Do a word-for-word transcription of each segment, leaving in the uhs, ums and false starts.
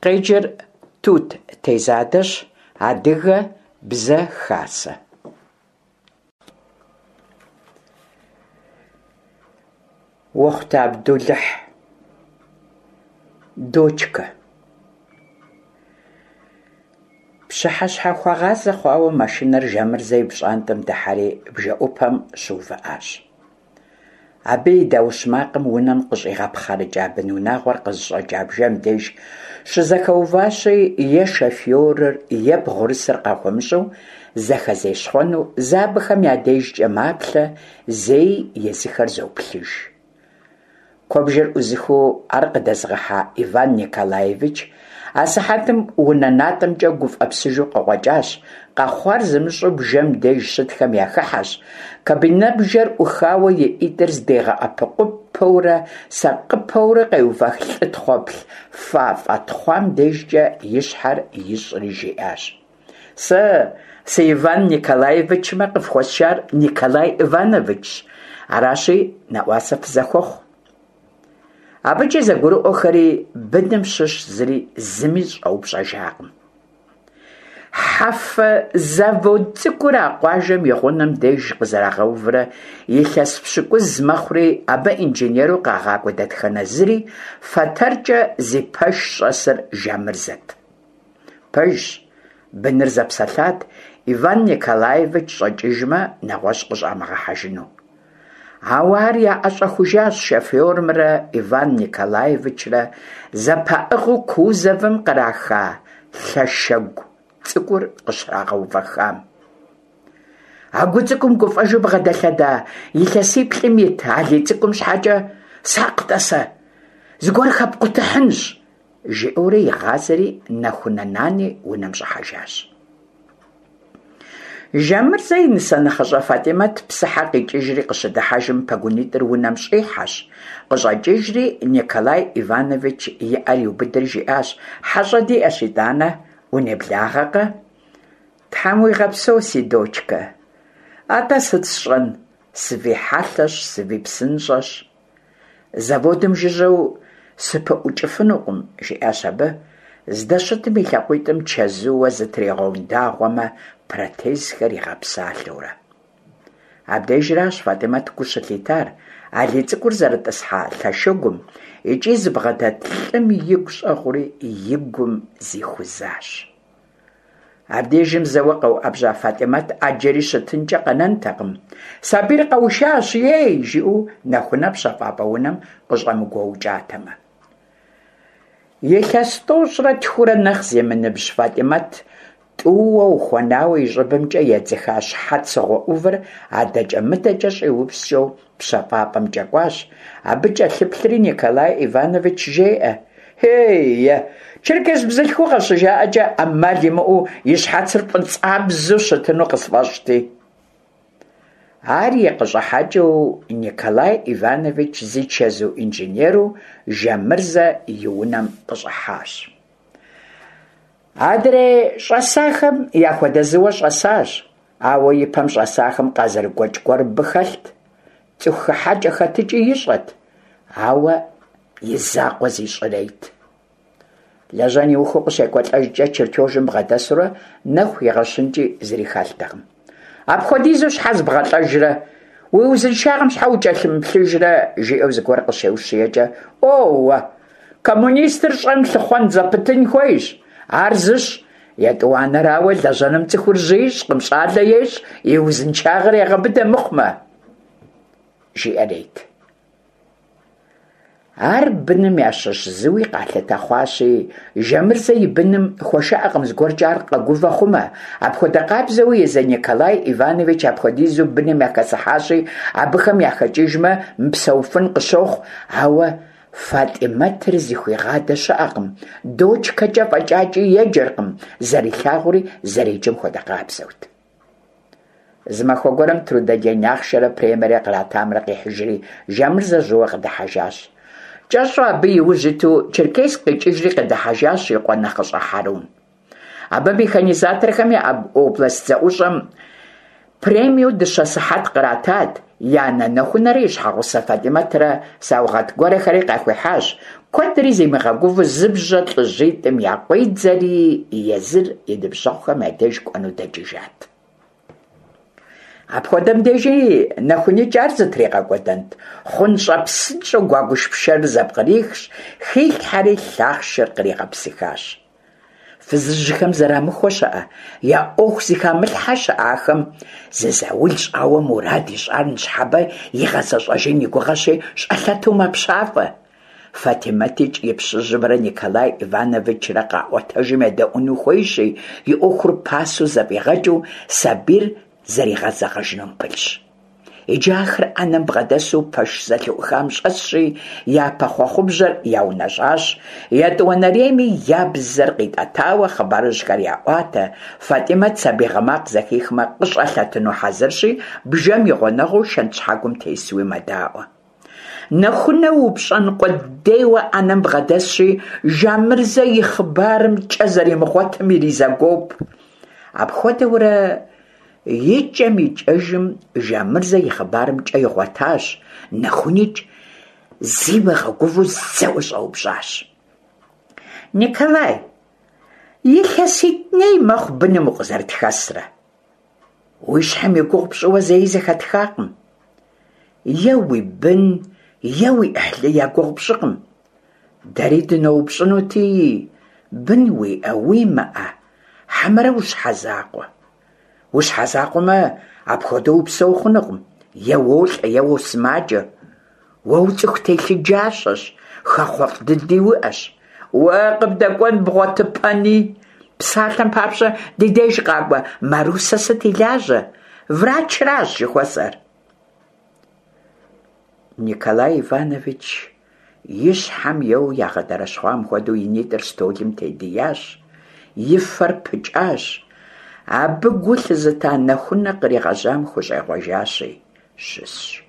Къеджэр Тут Тезадэщ, Адыгэ Бзэ Хасэ. Уэхъутэ Абдулыхь. Дочкэ. Пщыхьэщхьэхуэгъазэ хъуауэ машинэр Жамырзэ и пщӏантӏэм дыхьэри бжэӏупэм щыувыӏащ. Абы и даущ макъым унэм къыщӏигъэпхъэрыкӏа бынунагъуэр къызыщӏэкӏа бжэм деж щызэхэуващи, е шофёрыр, е бгъурысыр къахуэмыщӏэу зэхэзещхъуэну зэ абыхэм я дежкӏэ маплъэ, зэи езыхэр зоплъыж. Куэбжэр ӏузыхыу ар къыдэзыгъэхьа Иван Николаевич асыхьэтым унэ натӏэмкӏэ гуфӏэпсыжу къыкъуэкӏащ, къэхъуар зымыщӏэу бжэм деж щытхэм яхыхьэщ, кабинэбжэр ӏухауэ и ӏитӏыр здигъэӏэпыкъупэурэ сакъыпэурэ къеувэх лӏы тхъуэплъ фафӏэ тхъуам дежкӏэ и щхьэр ищӏри жиӏащ: «Сэ сы-Иван Николаевичмэ, къыфхуэсшар Николай Ивановичщ, аращи, нэӏуасэ фызэхуэхъу». Абыкӏи зэгурыӏуэхэри, быным щыщ зыри зыми щӏэупщӏэжакъым. Хьэфэ завод цӏыкӏур а къуажэм и гъунэм деж къызэрагъэуврэ илъэс пщыкӏуз мэхъури, абы инженеру къагъакӏуэ дэтхэнэ зыри фэтэркӏэ зи пэш щӏэсыр Жамырзэт. Пэжщ, быныр зэпсэлъат Иван Николаевич щӏэкӏыжмэ, нэгъуэщӏ къыщӏамыгъэхьэжыну. Ауэ ар яӏэщӏэхужащ шофёрымрэ Иван Николаевичрэ зэпаӏыгъыу кузовым къраха лъэшэгу цӏыкӏур къыщрагъэувэхам. А гу цӏыкӏум гуфӏэжу бгъэдэлъэда илъэсиплӏым ит Алий цӏыкӏум щхьэкӏэ «Сакъ, тӏасэ, зыгуэр хэпкъутыхьынщ», жиӏэурэ игъазэри Нэхунэ нани унэм щӏыхьэжащ. Жамырзэ и нысэ нэхъыщӏэ Фатӏимэт псыхьэ къикӏыжри къыщыдыхьэжым пэгунитӏыр унэм щӏихьэщ, къыщӏэкӏыжри Николай Иванович и ӏэр иубыдри жиӏащ: «Хьэщӏэ диӏэщ итӏанэ, унеблагъэкъэ?» «Тхьэм уигъэпсэу, си дочкэ. Атӏэ сыт сщӏэн, сывихьэлъэщ, сывипсынщӏэщ. Заводым жыжьэу сыпыӏукӏыфынукъым», жиӏащ абы, здэщытым и лъакъуитӏым чэзууэ зытригъэундагъуэмэ протезхэр игъэпсалъэурэ. Абдежращ Фатӏимэт гу щылъитар Алий цӏыкӏур зэрытӏысхьа лъэшыгум икӏи зыбгъэдэт лӏым игу щӏэгъури и гум зихузащ. Абдежым зэуэ къэуӏэбжьа Фатӏимэт ӏэджэри щытынкӏэ къэнэнтэкъым. «Сабийр къэушащ, ей!» жиӏэу Нэхунэ пщэфӏапӏэ унэм къыщӏэмыгуоукӏатэмэ. Илъэс тӏощӏрэ тхурэ нэхъ зимыныбжь Фатӏимэт тӏууэ ухуэнауэ и щӏыбымкӏэ едзыха щхьэцыгъуэ ӏувыр адэкӏэ-мыдэкӏэ щӏиупскӏэу пщэфӏапӏэмкӏэ кӏуащ. Абы кӏэлъыплъри Николай Иванович жеӏэ: «Ей, черкес бзылъхугъэ щыжаӏэкӏэ ӏэмал имыӏэу и щхьэцыр фӏыцӏабзэу щытыну къысфӏэщӏти». Ар и къыщӏыхьэкӏэу Николай Иванович зи чэзу инженеру Жамырзэ и унэм къыщӏыхьащ. Адрей щӏэсахэм яхуэдэ зыуэ щӏэсащ, ауэ ипэм щӏэсахэм къазэрыгуэкӏ гуэр мыбы хэлът. Цӏыху хыхьэкӏэ-хэтыкӏи ищӏэт, ауэ и закъуэ зищӏырейт. Лэжьэн иухыу къыщекӏуэлӏэжкӏэ чертежым бгъэдэсурэ нэху игъэщынкӏи зыри хэлътэкъым. «Апхуэдизу щхьэ зыбгъэлӏэжрэ? Уи узыншагъэм щхьэ укӏэлъымыплъыжрэ?» жиӏэу зыгуэр къыщеущиекӏэ, «Ӏуоуэ, коммунистыр щӏэм лъыхъуэн зэпытын хуейщ, ар зыщ, етӏуанэрауэ, лэжьэным цӏыхур жьы ищӏкъым, щӏалэ ещӏ, и узыншагъэр егъэбыдэ мыхъумэ», жиӏэрейт. Ар быным ящыщ зыуи къалъытэ хъуащи, Жамырзэ и быным хуэшыӏэкъым зыгуэркӏэ ар къэгувэ хъумэ. Апхуэдэ къабзэуи езы Николай Иванович апхуэдизу быным яхэсыхьащи, абыхэм яхэкӏыжмэ, мыпсэуфын къыщохъу, ауэ Фатӏимэтыр зыхуигъадэ щыӏэкъым, дочкэкӏэ фӏэкӏакӏи еджэркъым, зэрилъагъури зэреджэм хуэдэ къабзэут. Зы махуэ гуэрым трудодень ахъшэрэ премиерэ къратамрэ къихьыжри, Жамырзэ жьыуэ къыдыхьэжащ. Кӏэщӏу абы и ужь иту Черкесск къикӏыжри къыдыхьэжащ и къуэ нэхъыщӏэ Хьэрун. Абы механизаторхэм я область зэӏущӏэм премиеу дыщэ сыхьэт къратат, и анэ Нэхунэрэ и щхьэгъусэ Фатӏимэтрэ саугъэт гуэрхэри къахуихьащ, Куэдри зимыгъэгувэу зы бжьэ лӀыжьитӀым якъуидзэри, езыр и ныбжьэгъухэм я деж кӀуэну дэкӀыжат. Апхуэдэм дежи НэхуникӀ ар зытригъэкӀуэдэнт? ХъунщӀэпсынщӀэу гуэгуш пшэрыр зэпкърихщ, хилъхьэри лъахъшыр къригъэпсыхащ. Фызыжьхэм зэрамыхуэ щыӀэ, я Ӏуэху зыхамылъхьэ щыӀэ ахэм, зы заул щӀауэ мурад ищӀар ныщхьэбэ игъэзэщӀэжын и гугъэщи, щӀэлъэту мэпщафӀэ. ФатӀимэтикӀ и пщыжьымрэ Николай Ивановичрэ къаӀуэтэжым едэӀуэну хуейщи, и Ӏуэхур пасэу зэфӀигъэкӀыу сабийр зэригъэзэгъэжынум пылъщ. Иджы ахэр Ӏэнэм бгъэдэсу пэш зэлъыӀухам щӀэсщи, япэ хъуэхъубжьэр яунэщӀащ, етӀуанэрейми я бзэр къитӀэтауэ хъыбарыжьхэр яӀуатэ, ФатӀимэт сабий гъы макъ зэхихмэ, къыщӀэлъэтыну хьэзырщи, бжэм и гъунэгъуу шэнтщхьэгуэм тесуи мэдаӀуэ. Нэхунэ упщӀэн къудейуэ Ӏэнэм бгъэдэсщи, Жамырзэ и хъыбарым кӀэ зэримыгъуэтым иризэгуоп. Апхуэдэурэ икӀэм-икӀэжым Жамырзэ и хъыбарым кӀэ игъуэтащ, НэхуникӀ зимыгъэгувэу зэуэ щӀэупщӀащ: «Николай, илъэситӀ ней мэхъу быным укъызэрытхэсрэ. Уи щхьэм и гугъу пщӀыуэ зэи зэхэтхакъым. Е уи бын, е уи Ӏыхьлы я гугъу пщӀыкъым. Дэри дыноупщӀынути, бын уиӀэ, уимыӀэ, хьэмэрэ ущхьэзакъуэ? Ущхьэзакъуэмэ, апхуэдэу упсэу хъунукъым, е уолӀэ, е уосымаджэ. Уэ уцӀыху телъыджащэщ, хэхъуэфӀ дыди уиӀэщ. Уэ къыбдэкӀуэн бгъуэтыпэни? Псалъэм папщӀэ, ди деж къакӀуэ Марусэ сыт и лажьэ? Врачращ жыхуэсӀэр». Николай Иванович и щхьэм еуэу ягъэдэрэщхъуам хуэдэу и нитӀыр стӀолым тедиящ, и фэр пыкӀащ. Абы гу лъызыта Нэхунэ къригъэжьам хущӀегъуэжащи, щысщ.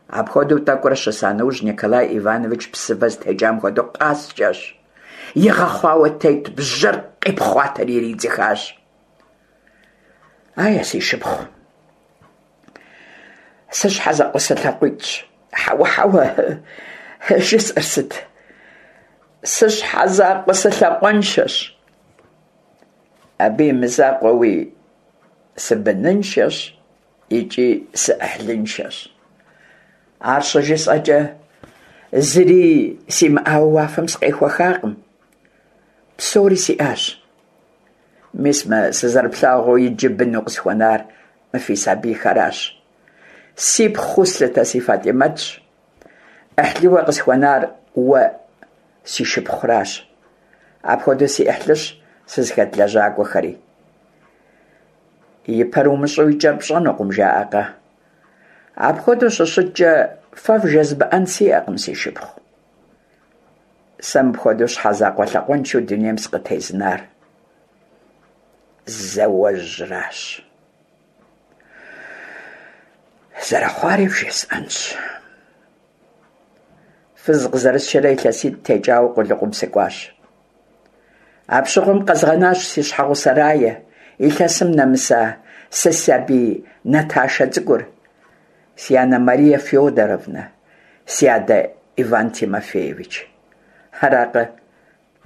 Апхуэдэу тӀэкӀурэ щыса нэужь, Николай Иванович псывэ зытекӀам хуэдэу къаскӀэщ, игъэхъуауэ тет бжьэр къипхъуатэри иридзыхащ. «Ае, си шыпхъу, сыщхьэзакъуэ-сылъакъуитӀщ. Хьэуэ, хьэуэ, жысӀэр сыт? Сыщхьэзакъуэ-сылъакъуэншэщ. Абы и мызакъуэуи сыбыныншэщ икӀи сыӀыхьлыншэщ. Ар щыжысӀэкӀэ, зыри симыӀауэ уафэм сыкъехуэхакъым. Псори сиӀащ. Мис мы сызэрыплъагъуу иджы быну къысхуэнар мы фи сабийхэращ. Сипхъуу слъытэ си ФатӀимэтщ. Ӏыхьлыуэ къысхуэнар уэ си шыпхъуращ. Апхуэдэу си Ӏыхьлыщ сызыхэт лэжьакӀуэхэри. И пэр умыщӀэу и кӀэр пщӀэнукъым, жаӀэкъэ? Апхуэдэу щыщыткӀэ, фэ вжезмыӀэн сиӀэкъым, си шыпхъу. Сэ мыпхуэдэу щхьэзакъуэ-лъакъуэншэу дунейм сыкъытезынар зауэжьращ. Зэрыхъуари вжесӀэнщ. Фыз къызэрысшэрэ илъэситӀ текӀауэ къулыкъум сыкӀуащ. Апщыгъуэм къэзгъэнащ си щхьэгъусэ Рае, илъэсым нэмыса сэ сабий Наташэ цӀыкӀур, си анэ Мария Федоровнэ, си адэ Иван Тимофеевич. Аракъэ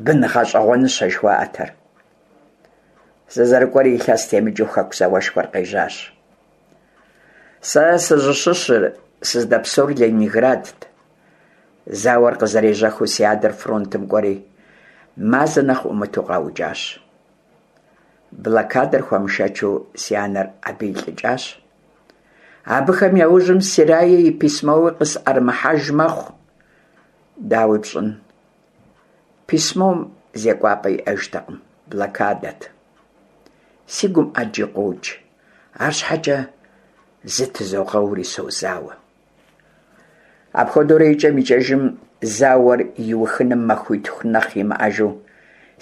бын гъэщӀэгъуэныщэ жыхуаӀэтэр. СызэрыкӀуэри илъэс темыкӀыу Хэку зауэшхуэр къежьащ. Сэ сызыщыщыр, сыздэпсэур Ленинградт. Зауэр къызэрежьэхыу си адэр фронтым кӀуэри, мазэ нэхъ Ӏумыту къаукӀащ. Блокадэр хуэмышэчу си анэр абы илӀыкӀащ. Абыхэм я ужьым си Рае и письмоуи къысӀэрымыхьэж мэхъу. Дауи пщӀын, письмом зекӀуапӀэ иӀэжтэкъым, блокадэт. Си гум Ӏэджи къокӀ, арщхьэкӀэ зытызогъэури созауэ. Апхуэдэурэ икӀэм-икӀэжым зауэр иухыным махуитху нэхъ имыӀэжу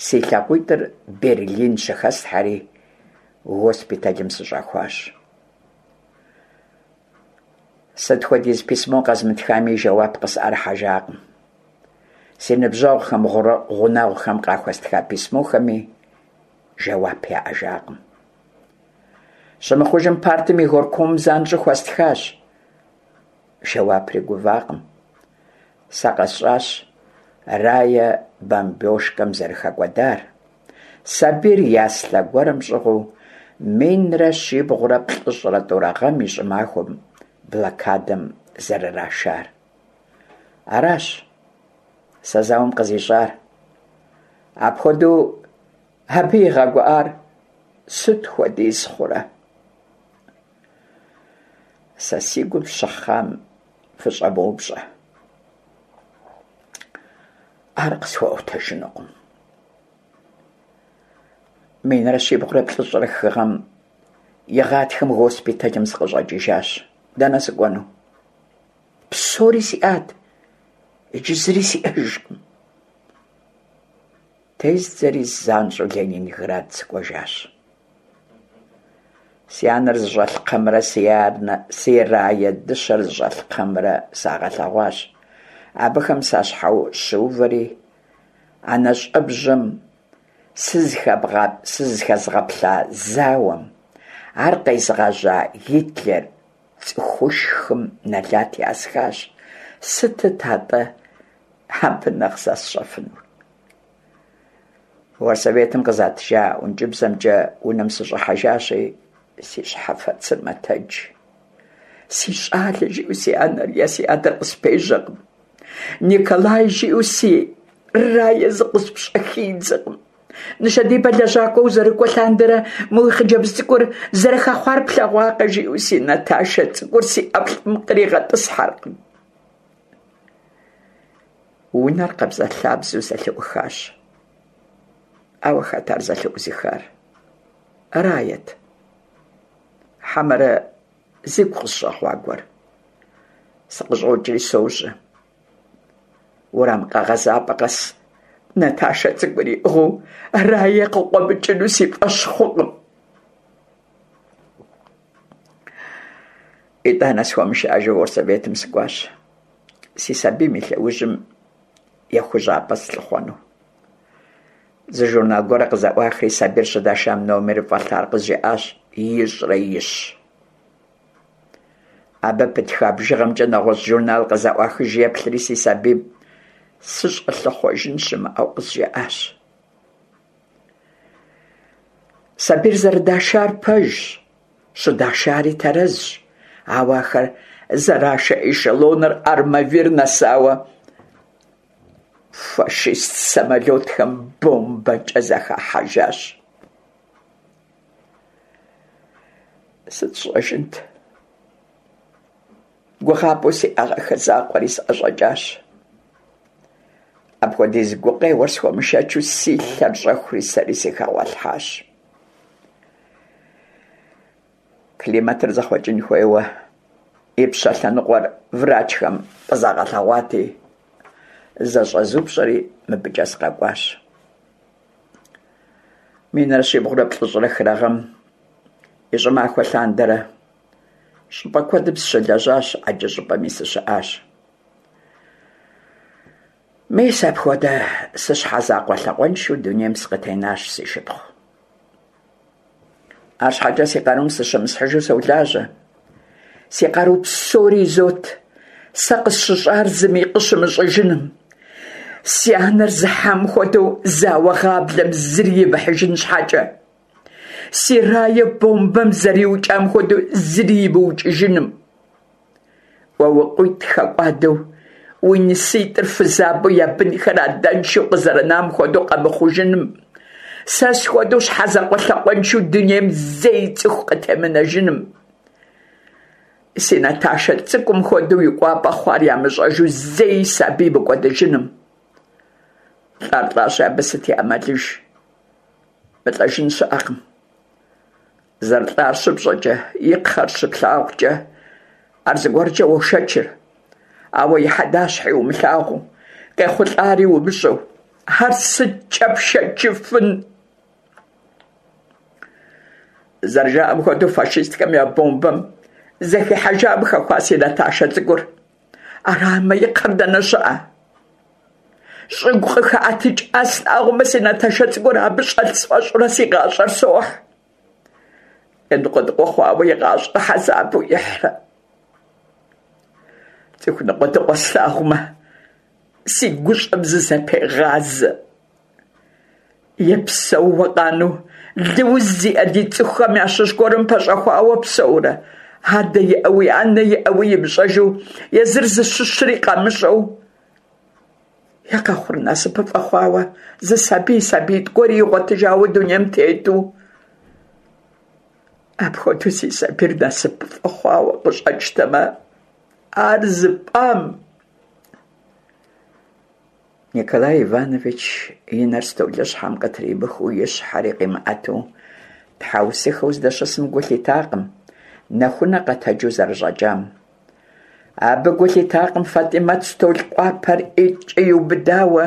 си лъакъуитӀыр Берлин щыхэслъхьэри, госпиталым сыщӀахуащ. Сыт хуэдиз письмо къэзмытхами, жэуап къысӀэрыхьэжакъым. Си ныбжьэгъухэм, гъунэгъухэм къахуэстха письмохэми жэуап яӀэжакъым. Щымыхъужым партым и горкомым занщӀэу хуэстхащ. Жэуапри гувакъым. Сэ къэсщӀащ Рае бомбёжкэм зэрыхэкӏуэдар, сабийр яслъэ гуэрым щӏыгъуу минрэ щибгъурэ плӏыщӏрэ тӏурэ гъэм и щӏымахуэм блокадэм зэрырашар. Аращ сэ зауэм къызищӏар. Апхуэдэу абы игъэгуӏар сыт хуэдиз хъурэ? Сэ си гум щыхъам фыщӏэмыупщӏэ. Ар къысхуэӏуэтэжынукъым. Минрэ щибгъурэ плӏыщӏрэ хы гъэм и гъатхэм госпиталым сыкъыщӏэкӏыжащ. Дэнэ сыкӏуэну? Псори сиӏат, иджы зыри сиӏэжкъым. Тездзэри занщӏэу Ленинград сыкӏуэжащ. Си анэр зыщӏэлъ кхъэмрэ си анэ, си Рае дыщэр зыщӏэлъ кхъэмрэ сагъэлъэгъуащ. Абыхэм сащхьэщыувэри, а нэщӏэбжьэм сызыхэзгъэплъа зауэм, ар къезыгъэжьа Гитлер цӏыхушхым нэлат ясхащ. Сытыт атӏэ абы нэхъ сэ сщӏэфынур? Горсоветым къызатыжа ӏункӏыбзэмкӏэ унэм сыщӏыхьэжащи, си щхьэфэцыр мэтэдж. Си щӏалэ жиӏэу си анэр е си адэр къыспежьэкъым. Николай жиӏэу си Рае зыкъыспщӏэхидзэкъым. Нышэдибэ лэжьакӏуэ узэрыкӏуэ лъандэрэ мы уи хъыджэбз цӏыкӏур зэрыхэхъуар плъэгъуакъэ жиӏэу си Наташэ цӏыкӏур си ӏэплӏэм къригъэтӏысхьэркъым. Унэр къабзэлъабзэу зэлъыӏухащ. Ауэ хэт ар зэлъыӏузыхар? Рает. Хьэмэрэ зигу къысщӏэгъуа гуэр. Сыкъыщӏокӏри сожьэ. Уэрам къэгъэзапӏэ къэс Наташэ цӏыкӏур иӏыгъыу Рае къыкъуэмыкӏыну си фӏэщ хъукъым. Итӏанэ схуэмышыӏэжу горсоветым сыкӏуащ, си сабийм и лъэужьым ехужьапӏэ слъыхъуэну. Зы журнал гуэр къызэӏуахри, сабийр щыдашам номеру фӏэлъар къызжаӏащ: ищӏрэ ищ. Абы пытха бжыгъэмкӏэ нэгъуэщӏ журнал къызэӏуахыж еплъри, си сабийм сыщӏэлъыхъуэжын щымыӏэу къызжаӏащ. Сабийр зэрыдашар пэжщ, щыдашари тэрэзщ, ауэ ахэр зэрашэ эшелоныр Армавир нэсауэ фашист самолетхэм бомбэкӏэ зэхахьэжащ. Сыт сщӏэжынт? Гугъапӏэу сиӏэгъэххэ закъуэри сӏэщӏэкӏащ. Апхуэдиз гукъеуэр схуэмышэчу си лъэр щӏэхури сэри сыхэгъуэлъхьащ. Климатыр зэхъуэкӏын хуейуэ ипщэ лъэныкъуэр врачхэм къызагъэлъэгъуати, зэщӏэзупщӏэри мыбыкӏэ сыкъэкӏуащ. Минрэ щибгъурэ плӏыщӏрэ хырэ гъэм и щӏымахуэ лъандэрэ щӏыпӏэ куэдым сыщылэжьащ, ӏэджэ щӏыпӏэми сыщыӏащ. Мис апхуэдэ сыщхьэзакъуэ лъакъуэншэу дунейм сыкъытенащ, си шыпхъу. Арщхьэкӏэ си къарум сыщымысхьыжу солажьэ. Си къару псори изот сэ къысщыщӏар зыми къыщымыщӏыжыным. Си анэр зыхьам хуэдэу зауэ гъаблэм зыри имыхьыжын щхьэкӏэ. Си Рае бомбэм зэриукӏам хуэдэу зыри имыукӏыжыным. Уэ уи къуитӏ хэкӏуадэу, уи ныситӏыр фызабэу я бынхэр адэншэу къызэрынам хуэдэу къэмыхъужыным. Сэ схуэдэу щхьэзакъуэ-лъакъуэншэу дунейм зэи цӏыху къытемынэжыным. Си Наташэ цӏыкӏум хуэдэу и кӏуапӏэ хъуар ямыщӏэжу зэи сабий мыкӏуэдыжыным. Лӏар лӏащи, абы сыт и ӏэмалыж? Мылӏэжын щыӏэкъым. Зэрылӏар щыпщӏэкӏэ, и кхъэр щыплъагъукӏэ, ар зыгуэркӏэ уошэчыр. Ауэ и хьэдащхьи умылъагъуу, къехъулӏари умыщӏэу, ар сыткӏэ пшэчыфын? Зэрыжаӏэм хуэдэу фашистхэм я бомбэм зэхихьэжам хэхуа си Наташэ цӏыкӏур. Арамэ, и кхъэр дэнэ щыӏэ? Щӏыгу къыхэӏэтыкӏа слъагъумэ, си Наташэ цӏыкӏур абы щӏэлъ сфӏэщӏурэ си гъащӏэр сохь. Ныкъуэдыкъуэ хъуауэ и гъащӏэр хьэзабу ихьрэ. Цӏыху ныкъуэдыкъуэ слъагъумэ, си гущӏэм зызэпегъазэ. Е псэууэ къанэу лыуз зиӏэ ди цӏыхухэм ящыщ гуэрым пэщӏэхуауэ псэурэ, адэ иӏэуи анэ иӏэуи имыщӏэжу, езыр зыщыщри къамыщӏэу. Е къэхъур насыпыфӏэ хъуауэ, зы сабий, сабиитӏ гуэри игъуэтыжауэ дунейм тету. Апхуэдэу си сабийр насыпыфӏэ хъуауэ къыщӏэкӏтэмэ, ар зыпӏам. Николай Иванович и нэр столыщхьэм къытримыхыу, и щхьэри къимыӏэту, тхьэусыхэу здэщысым гу лъитакъым Нэхунэ къэтэджу зэрыщӏэкӏам. Абы гу лъитакъым Фатӏимэт стол къуапэр ӏитӏкӏэ иубыдауэ,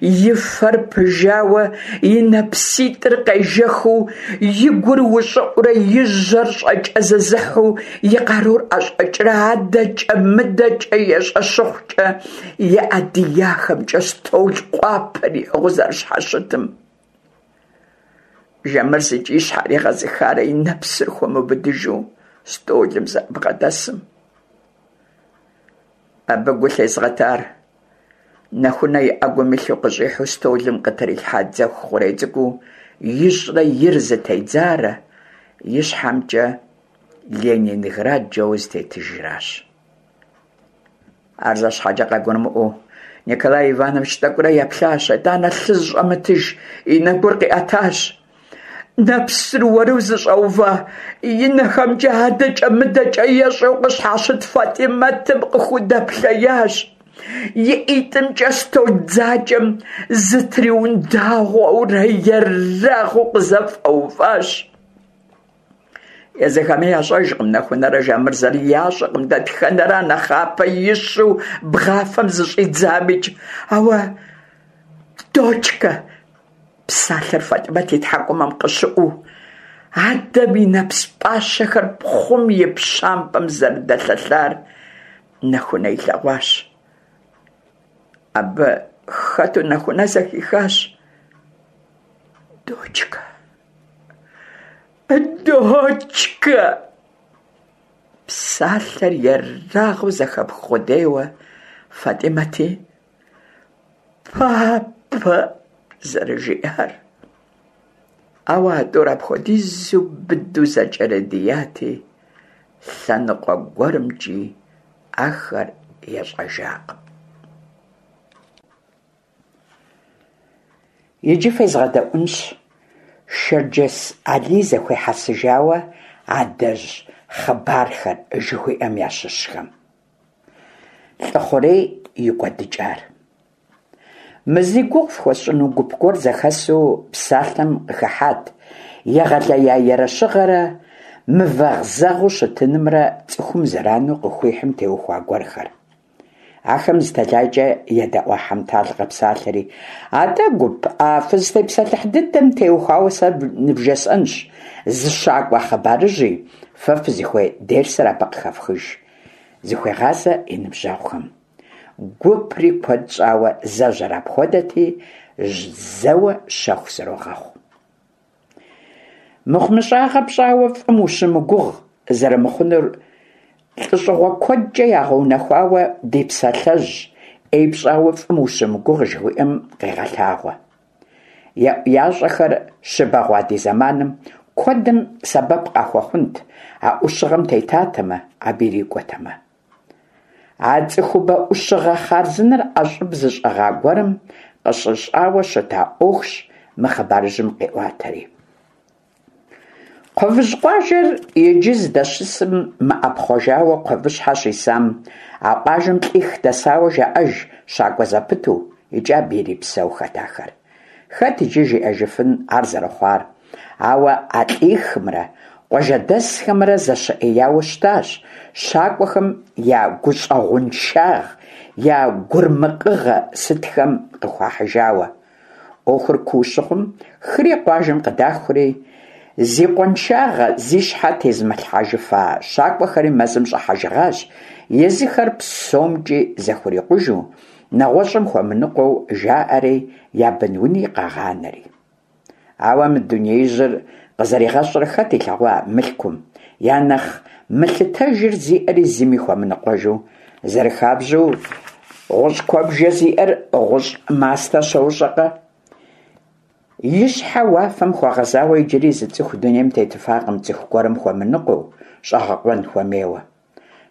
и фэр пыжауэ, и нэпситӏыр къежэхыу, и гур ущӏыӏурэ и жьэр щӏэкӏэзэзыхьу, и къарур ӏэщӏэкӏрэ адэкӏэ-мыдэкӏэ ещӏэ щыхъукӏэ, и ӏэ дияхэмкӏэ стол къуапэр иӏыгъыу зэрыщхьэщытым. Жамырз икӏи и щхьэр егъэзыхарэ и нэпсыр хуэмыубыдыжу стӏолым зэрыбгъэдэсым. Абы гу лъезгъэтар Нэхунэ и ӏэгум илъу къыщӏихьу стӏолым къытрилъхьа дзэху хъурей цӏыкӏуу ищӏрэ ир зытедзарэ и щхьэмкӏэ Ленинград жэуэ зытетыжращ. Ар зэ щхьэкӏэ къагурымыӏуэу Николай Иванович тӏэкӏурэ еплъащ, итӏанэ лъы зыщӏэмытыж и нэгур къиӏэтащ. Нэпсыр уэру зыщӏэува и нэхэмкӏэ адэкӏэ-мыдэкӏэ ещӏэу къыщхьэщыт Фатӏимэтым къыхудэплъеящ. И ӏитӏымкӏэ стол дзакӏэм зытриундагъуэурэ ерагъыу къызэфӏэуващ. Езыхэми ящӏэжкъым Нэхунэрэ Жамырзэри, ящӏэкъым дэтхэнэра нэхъапэ ищу бгъафэм зыщӏидзамикӏ. Ауэ «дочка» псалъэр Фатӏимэт и тхьэкӏумэм къыщыӏуу, адэм и нэпс пӏащэхэр пхъум и пщампӏэм зэрыдэлъэлъар Нэхунэ илъэгъуащ. Абы хэту Нэхунэ зэхихащ: «Дочка! Дочка!» Псалъэр ерагъыу зэхэпх къудейуэ Фатӏимэти «Папэ» зэрыжиӏар. Ауэ а тӏур апхуэдизу быдэу зэкӏэрыдияти, лъэныкъуэ гуэрымкӏи ахэр ещӏэжакъым. Иджы фезгъэдэӏуэнщ Шэрджэс Алий зэхуихьэсыжауэ «Адэжь хъыбархэр» жыхуиӏэм ящыщхэм. Лӏыхъурей и кӏуэдыкӏар. Мы зи гугъу фхуэсщӏыну гуп гуэр зэхэсу псалъэм къыхыхьат егъэлея ерыщыгъэрэ мывэгъзэгъыу щытынымрэ цӏыхум зэрану къыхуихьым теухуа гуэрхэр. Ахэм зы тэлайкӏэ едэӏуа Хьэмтал къэпсалъэри: «Атӏэ, гуп, а фызытепсэлъыхь дыдэм теухуауэ сэ нывжесӏэнщ зы щакӏуэ хъыбарыжьи, фэ фызыхуей дерсыр абы къыхэфхыж», зыхуегъазэ и ныбжьэгъухэм. Гупри куэд щӏауэ зэжьэр апхуэдэти, зэуэ щэху зэрогъэхъу. Мыхъумыщӏагъэ пщӏауэ фӏым ущымыгугъ зэрымыхъунур лӏыщӏыгъуэ куэдкӏэ ягъэунэхуауэ ди псалъэжь «ӏей пщӏауэ фӏым ущымыгугъ» жыхуиӏэм къегъэлъагъуэ. Еӏуящӏэхэр щыбэгъуа ди зэманым куэдым сэбэп къахуэхъунт а ӏущыгъэм тетатэмэ, абы ирикӏуэтэмэ. А цӏыхубэ ӏущыгъэ хъарзынэр ӏэщӏыб зыщӏыгъа гуэрым къыщыщӏауэ щыта ӏуэхущ мы хъыбарыжьым къиӏуатэри. Кхъуэвыжь къуажэр иджы здэщысым мыӏэпхъуэжауэ Кхъуэвыщхьэ щисам, а къуажэм лӏих дэсауэ жаӏэж щакӏуэ зэпыту, икӏи абы ирипсэухэт ахэр. Хэт иджы жиӏэжыфын ар зэрыхъуар, ауэ а лӏихымрэ къуажэдэсхэмрэ зэщыӏеяуэ щытащ, щакӏуэхэм я гущӏэгъуншагъ, я гурмыкъыгъэ сытхэм къыхуахьыжауэ. Ӏуэхур куу щыхъум, хыри къуажэм къыдахури, зи къуаншагъэ зи щхьэ тезымылъхьэжыфа щакӏуэхэри мэзым щӏыхьэжыгъащ, езыхэр псомкӏи зэхурикъужу, нэгъуэщӏым хуэмыныкъуэу жаӏэри, я бын-уни къагъанэри. Ауэ мы дунеижьыр къызэригъэщӏрэ хэт илъэгъуа мылъкум, я нэхъ мылъытэжыр зиӏэри зыми хуэмыныкъуэжу, зэрыхабзэу ГъущӀ куэбжэ зиӀэр гъущӀ мастэ щэущӀэкъэ? И щхьэ уафэм хуэгъэзауэ иджыри зы цӀыху дунейм тетыфакъым цӀыху гуэрым хуэмыныкъуэу, щӀэгъэкъуэн хуэмейуэ.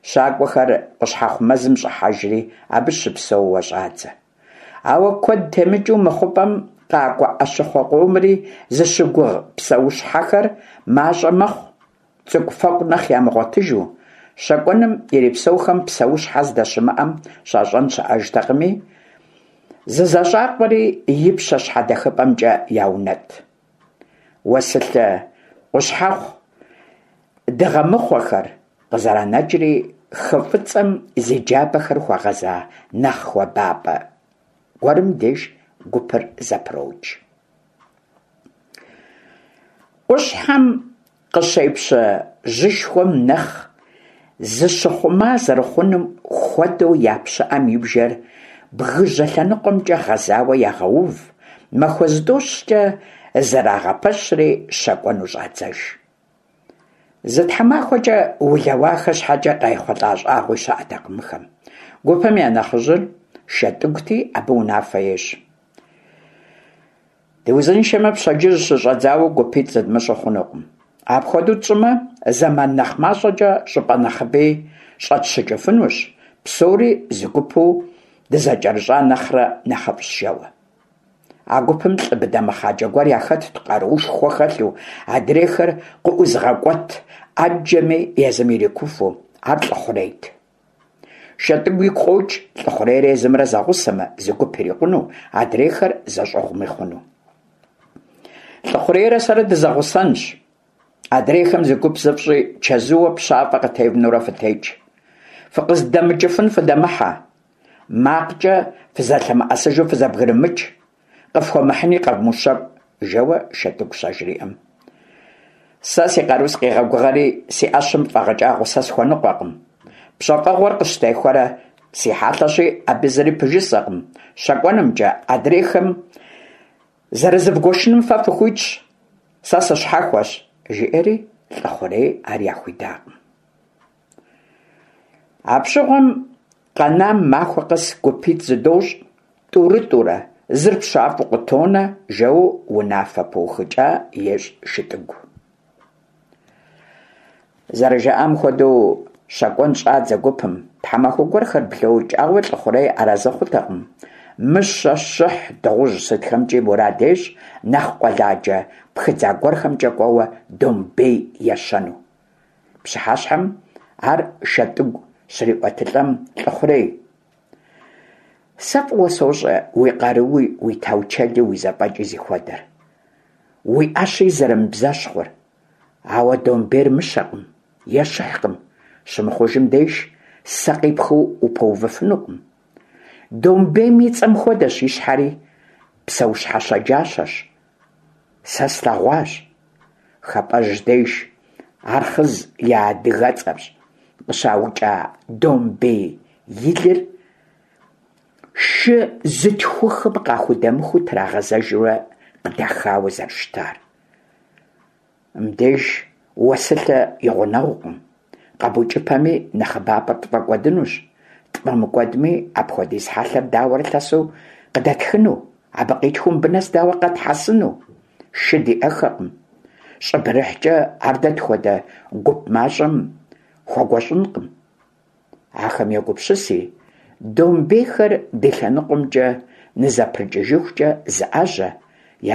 ЩакӀуэхэр Къущхьэхъу мэзым щӀыхьэжри, абы щыпсэууэ щӀадзэ. Ауэ куэд темыкӀыу мы хъупӀэм къакӀуэ Ӏэщыхъуэ къомри зыщыгугъ псэущхьэхэр мащӀэ мэхъу, цӀыкӀуфэкӀу нэхъ ямыгъуэтыжу. ЩэкӀуэным ирипсэухэм псэущхьэ здэщымыӀэм щащӀэн щыӀэжтэкъыми, зызэщӀакъуэри ипщэ щхьэдэхыпӀэмкӀэ яунэтӀ. Уэсылъэ Къущхьэхъу дыгъэмыхъуэхэр къызэранэкӀри, хы ФӀыцӀэм зи джабэхэр хуэгъэза нэхъ хуабапӀэ гуэрым деж гупыр зэпрокӀ. Къущхьэм къыщепщэ жьышхуэм нэхъ зыщыхъума зэрыхъунум хуэдэу я пщыӀэм и бжэр бгыжьэ лъэныкъуэмкӀэ гъэзауэ ягъэув, махуэ зытӀущкӀэ зэрагъэпэщри щэкӀуэну щӀадзэж. Зы тхьэмахуэкӀэ улэуахэ щхьэкӀэ къайхъулӀа щӀагъуи щыӀэтэкъым мыхэм. Гупым я нэхъыжьыр ШэтӀыгути, абы унафэ ещӀ. Дыузыншэмэ, пщэдджыжь щыщӀэдзауэ гупитӀ зыдмыщӀу хъунукъым. Апхуэдэу тщӀымэ, зэман нэхъ мащӀэкӀэ щӀыпӀэ нэхъыби щӀэтщыкӀыфынущ, псори зы гупу дызэкӀэрыщӀа нэхърэ нэхъыфӀщ, жэуэ. А гупым лӀы быдэ мэхъаджэ гуэр яхэтт, къаруушхуэ хэлъу, адрейхэр къыӀузыгъэкӀуэт Ӏэджэми езым ирикуфу. Ар ЛӀыхъурейт. ШэтӀыгу игу къокӀ ЛӀыхъурейрэ езымрэ зэгъусэмэ, зы гуп ирикъуну, адрейхэр зэщӀыгъуми хъуну. ЛӀыхъурейрэ сэрэ дызэгъусэнщ. Адрейхэм зы гуп зыфщӀи, чэзууэ пщафӀэ къытевнэурэ фытекӀ. ФыкъыздэмыкӀыфын фыдэмыхьэ. МакъкӀэ фызэлъэмыӀэсыжу фызэбгрымыкӀ, къыфхуэмыхьыни къэвмыущэкӀу, жэуэ ШэтӀыгу щажриӀэм. Сэ си къару сыкъегъэгугъэри, си Ӏэщым фӀэгъэкӀа гъусэ схуэныкъуэкъым. ПщэфӀэгъуэр къыщыстехуэрэ си хьэлъэщи, абы зыри пыжысӀэкъым. ЩэкӀуэнымкӀэ адрейхэм зэрызывгуэшыным фэ фыхуитщ, сэ сыщхьэхуэщ, жиӀэри ЛӀыхъурей ар яхуидакъым. Апщыгъуэм къэнам махуэ къэс гупитӀ зыдощӀ, тӀурытӀурэ, зыр пщафӀэу къытонэ, жэуэ унафэ пыухыкӀа ещӀ ШытӀыгу. ЗэрыжаӀам хуэдэу щэкӀуэн щӀадзэ гупым. Тхьэмахуэ гуэрхэр блокӀ, ауэ ЛӀыхъурей арэзы хъутэкъым. Мыщэ, щыхь, дыгъужь сытхэмкӀи мурад ещӀ нэхъ къуэладжэ пхыдза гуэрхэмкӀэ кӀуэуэ домбей ещэну. Пщыхьэщхьэм ар ШэтӀыгу щриӀуэтылӀэм, ЛӀыхъурей: «Сэ фӀыуэ сощӀэ уи къаруи, уи таучэли, уи зэфӀэкӀи зыхуэдэр, уи Ӏэщи зэрымыбзэщхъур. Ауэ домбейр мыщэкъым е щыхькъым, щымыхъужым деж сэ къипхыу упэувыфынукъым. Домбейм и цӀэм хуэдэщ и щхьэри, псэущхьэ щэджащэщ. Сэ слъэгъуащ ХапӀэжь деж, Архъыз я адыгэцӀэщ, къыщаукӀа домбей и лыр шы зытхухым къахудэмыхыу трагъэзэжурэ къыдахауэ зэрыщытар. Мыбдеж уэсылъэ и гъунэгъукъым, къэбукӀыпэми, нэхъыбапӀэр тфӀэкӀуэдынущ, тфӀэмыкӀуэдми, апхуэдиз хьэлъэр дауэрэ лъэсу къыдэтхыну, абы къитхыу мыбы нэс дауэ къэтхьэсыну? Шы диӀэххэкъым. ЩӀыбырыхькӀэ ар дэ тхуэдэ гуп мащӀэм хуэгуэщӀынкъым. Ахэм егупсыси, домбейхэр ди лъэныкъуэмкӀэ нызэпрыкӀыжыхукӀэ зыӀэжьэ,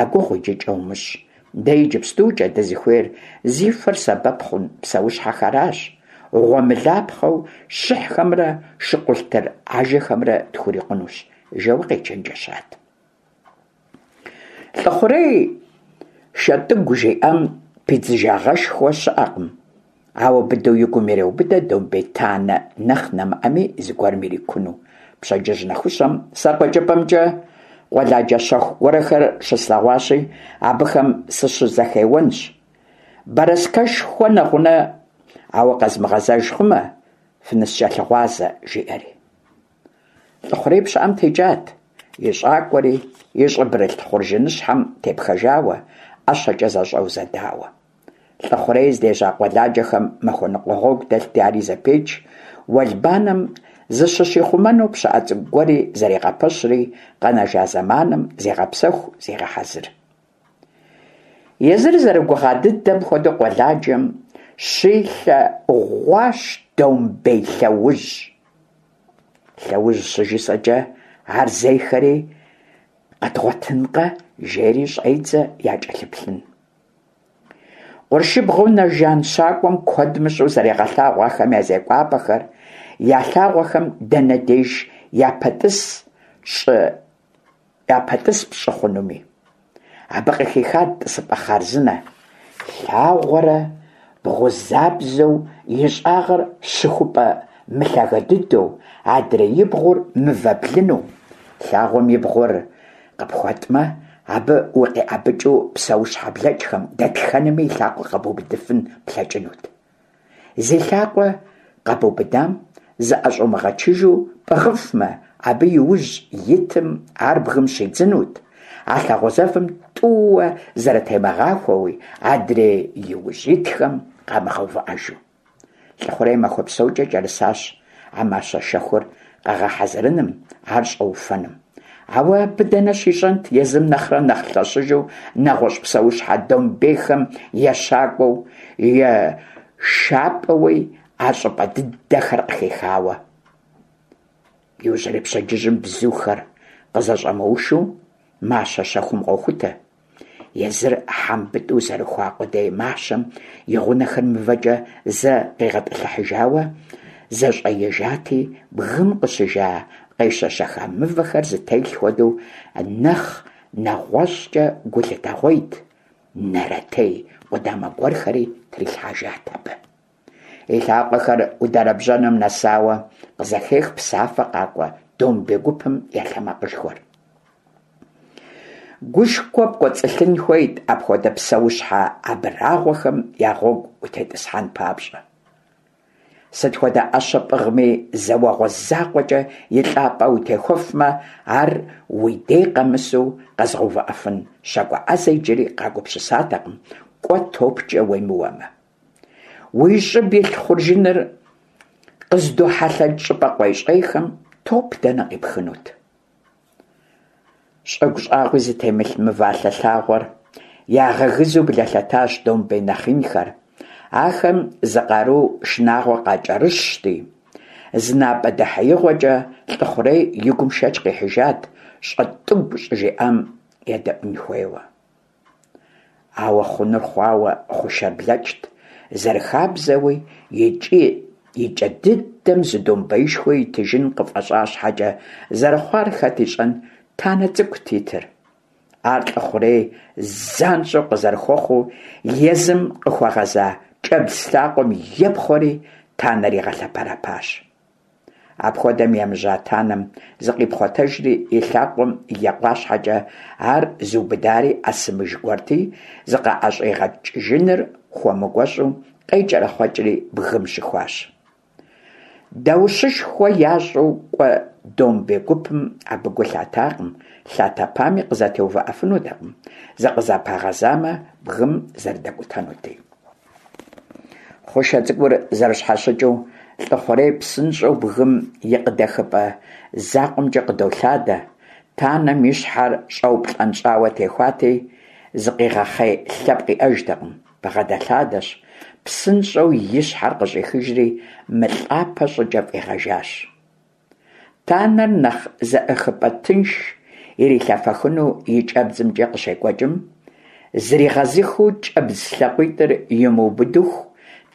я гугъу иджыкӀэ умыщӀ. Дэ иджыпстукӀэ дызыхуейр зи фэр сэбэп хъун псэущхьэхэращ, гъуэмылапхъэу щыхьхэмрэ шыкъулътыр ажэхэмрэ тхурикъунущ», жэуэ къечэнджэщат. ЛӀыхъурей ШэтӀыгу жиӀам пидзыжагъэшхуэ щыӀэкъым, ауэ быдэу и гум иреубыдэ домбей танэ нэхъ нэмыӀэми зыгуэрым ирикуну. Пщэдджыжь нэхущэм сэ къуэкӀыпӀэмкӀэ къуэладжэ щэху гуэрхэр щыслъэгъуащи, абыхэм сыщызэхеуэнщ. Бэрэскэшхуэ нэгъунэ, ауэ къэзмыгъэзэж хъумэ, фыныскӀэлъыгъуазэ, жиӀэри. ЛӀыхъурей пщыӀэм текӀат, и щӀакӀуэри и щӀыбырылъ хъуржыныщхьэм тепхэжауэ, ӀэщэкӀэ зэщӀэузэдауэ. ЛӀыхъурей здежьа къуэладжэхэм махуэ ныкъуэ гъуэгу дэлъти, ари зэпеч, уэлбанэм Зыщыщихъумэну пщыӏэ цӏыкӏу гуэри зэрегъэпэщри, къэнэжа зэманым зегъэпсэху, зегъэхьэзыр. Езыр зэрыгугъа дыдэм хуэдэу къуэладжэм щилъэгъуащ домбей лъэужь. Лъэужь щыжысӏэкӏэ, ар зейхэри къэдгъуэтынкъэ, жери щӏедзэ якӏэлъыплъын. Къуршыбгъэу нэ жан щакӏуэм куэд мыщӏэу зэрегъэлъагъу ахэм я зекӏуапӏэхэр, я лъагъуэхэм дэнэ деж япэтӏыс пщӏы хъунуми. Абы къыхихат тӏысыпӏэ хъарзынэ, лъагъуэрэ бгъузабзэу, и щӏагъыр щыхупӏэ мылъагэ дыдэу, адрей и бгъур мывэ блыну. Лъагъуэм и бгъур къыпхуэтӏмэ, абы укъиӏэбыкӏыу псэущхьэ блэкӏхэм дэтхэнэми и лъакъуэ къэбубыдыфын плъэкӏынут. Зи лъакъуэ къэбубыдам зыӏэщӏумыгъэчыжу пӏыгъыфмэ, абы и ужь итым ар бгым щидзынут, а лъагъуэ зэвым тӏууэ зэрытемыгъахуэуи, адрей и ужь итхэм къамыгъэувыӏэжу. Лӏыхъурей махуэ псокӏэ кӏэрысащ а мащэ щэхур къэгъэхьэзырыным, ар щӏэуфэным. Ауэ абы дэнэ щищӏэнт езым нэхърэ нэхъ лъэщыжу нэгъуэщӏ псэущхьэ домбейхэм ещакӏуэу, ешапӏэуи а щӏыпӏэ дыдэхэр къыхихауэ. Иужьрей пщэдджыжьым бзухэр къызэщӏэмыушу мащэ щэхум къохутэ. Езыр хьэмбытӏу зэрыхуа къудей мащэм и гъунэхэр мывэкӏэ зэ къигъэтӏылъыхьыжауэ зэщӏэижати, бгым къыщыжа къещэщэха мывэхэр зэтелъ хуэдэу нэхъ нэгъуэщӏкӏэ гу лъытэгъуейт, нэрэтей къудамэ гуэрхэри трилъхьэжат абы. И лъакъуэхэр удэрэбжьэным нэсауэ къызэхех псафэ къакӏуэ домбей гупым я лъэмакъышхуэр. Гушхуэ пкӏуэцӏылъын хуейт апхуэдэ псэущхьэ абрагъуэхэм я гъуэгу утетӏысхьэн папщӏэ. Сыт хуэдэ ӏэщэ пӏыгъми, зэ уэгъуэ закъуэкӏэ и лӏапӏэ утехуэфмэ, ар уи дей къэмысу къэзыгъэувыӏэфын щакӏуэ ӏэзэ иджыри къагупсысатэкъым, кӏуэ топкӏэ уемыуэмэ. Уи щӏыб илъ хъуржыныр къыздохьэлъэкӏ щӏыпӏэ къуейщӏейхэм топ дэнэ къипхынут? Щӏыгу щӏагъуи зытемылъ мывалъэ лъагъуэр ягъэгызу блэлъэтащ домбей нэхъ инхэр. Ахэм зы къару шынагъуэ къакӏэрыщти, зы напӏэ дэхьеигъуэкӏэ Лӏыхъурей и гум шэч къихьыжат щӏэтӏыгу щӏыжиӏам едэӏуэн хуейуэ. Ауэ хъунур хъуауэ хъушэр блэкӏт, зэрыхабзэуи икӏи и кӏэ дыдэм зы домбеишхуэ итыжын къыфӏэщӏа щхьэкӏэ, зэрыхъуар хэт ищӏэн, танэ цӏыкӏут итыр. Ар Лӏыхъурей занщӏэу къызэрыхуэхъуу, езым къыхуэгъэза кӏэбдз лъакъуэм епхъуэри танэр игъэлъэпэрэпащ. Апхуэдэм емыжьа танэм зыкъипхъуэтэжри и лъакъуэм екъуа щхьэкӏэ, ар зыубыдари ӏэсымыж гуэрти, зыкъыӏэщӏигъэкӏыжыныр хуэмыгуэщӏу къекӏэрэхъуэкӏри бгым щыхуащ. Даущышхуэ ящӏу кӏуэ домбей гупым абы гу лъатакъым, лъатэпами къызэтеувыӏэфынутэкъым, зыкъызэпагъэзамэ, бгым зэрыдэкӏутэнути. Хъушэ цӏыкӏур зэрыщхьэщыкӏыу, Лӏыхъурей псынщӏэу бгым и къыдэхыпӏэ закъуэмкӏэ къыдолъадэ. Танэм и щхьэр щӏэуплӏэнщӏауэ техуати, зыкъигъэхъей лъэпкъ иӏэжтэкъым. Бгъэдэлъадэщ, псынщӏэу и щхьэр къыщӏихыжри, мылӏапэ щӏыкӏэ фӏигъэжащ. Танэр нэхъ зэӏыхыпӏэ тынш ирилъэфэхыну и кӏэбдзымкӏэ къыщекӏуэкӏым, зригъэзыхыу кӏэбдз лъакъуитӏыр имыубыдыху,